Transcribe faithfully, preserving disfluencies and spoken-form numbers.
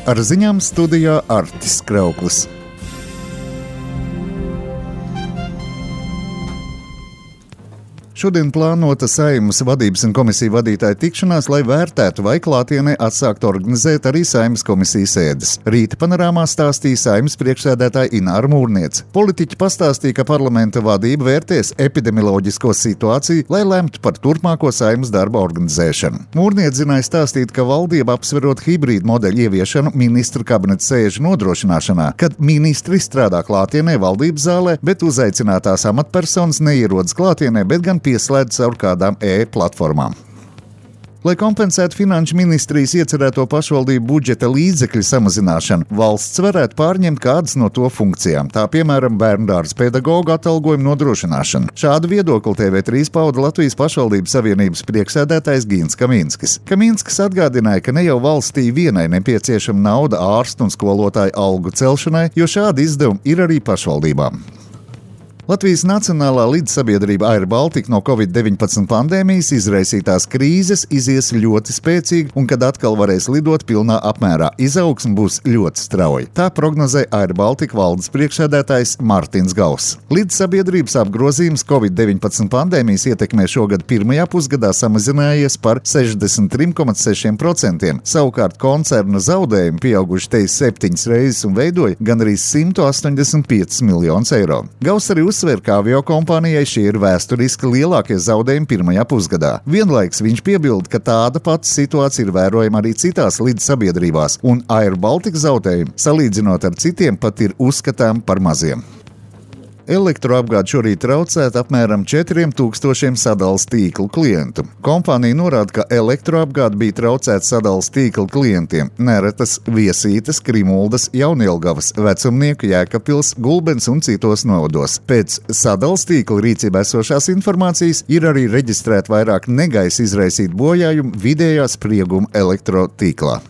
Ar ziņām studijā Artis Krauklis. Šodien plānota Saeimas vadības un komisiju vadītāju tikšanās, lai vērtētu, vai klātienē atsākt organizēt arī Saeimas komisijas sēdes. Rīta panorāmā stāstīja Saeimas priekšsēdētāja Ināra Mūrniece. Politiķi pastāstīja, ka parlamenta vadība vērtēs epidemioloģisko situāciju, lai lemtu par turpmāko Saeimas darba organizēšanu. Mūrniece zināja stāstīt, ka valdība apsverot hibrīdu modeļu ieviešanu ministru kabineta sēžu nodrošināšanā, kad ministri strādā klātienē valdības zālē, bet uzaicinātās amatpersonas neierodas klātienē, bet gan pieslēdz caur kādām e-platformām. Lai kompensētu finanšu ministrijas iecerēto pašvaldību budžeta līdzekļu samazināšanu, valsts varētu pārņemt kādas no to funkcijām, tā piemēram bērndārza pedagogu atalgojumu nodrošināšanu. Šādu viedokli T V trīs pauda Latvijas pašvaldības savienības priekšsēdētājs Gins Kaminskis. Kaminskis atgādināja, ka ne jau valstī vienai nepieciešama nauda ārstu un skolotāju algu celšanai, jo šādi izdevumi ir arī pašvaldībām. Latvijas Nacionālā lidsabiedrība Air Baltica no covid deviņpadsmit pandēmijas izraisītās krīzes izies ļoti spēcīgi un kad atkal varēs lidot pilnā apmērā, izaugsme būs ļoti strauja. Tā prognozē Air Baltica valdes priekšsēdētājs Mārtiņš Gauss. Lidsabiedrības apgrozījums covid deviņpadsmit pandēmijas ietekmē šogad pirmajā pusgadā samazinājies par sešdesmit trim komats sešiem procentiem. Savukārt koncerna zaudējumi pieauguši te septiņas reizes un veidoja gandrīz simt astoņdesmit piecus miljonus eiro. Gauss arī uzsver, ka aviokompānijai šie ir vēsturiski lielākie zaudējumi pirmajā pusgadā. Vienlaiks viņš piebilda, ka tāda pati situācija ir vērojama arī citās lidsabiedrībās, un Air Baltica zaudējumi, salīdzinot ar citiem, pat ir uzskatām par maziem. Elektroapgāde šorīt traucēta apmēram četriem tūkstošiem sadales tīklu klientu. Kompānija norāda, ka elektroapgāde bija traucēta sadales tīklu klientiem Neretas, Viesītes, Krimuldas, Jaunielgavas, Vecumnieku, Jēkabpils, Gulbens un citos novados. Pēc sadales tīkla rīcībā esošās informācijas ir arī reģistrēta vairāk negaisa izraisītu bojājumu vidējā sprieguma elektrotīklā.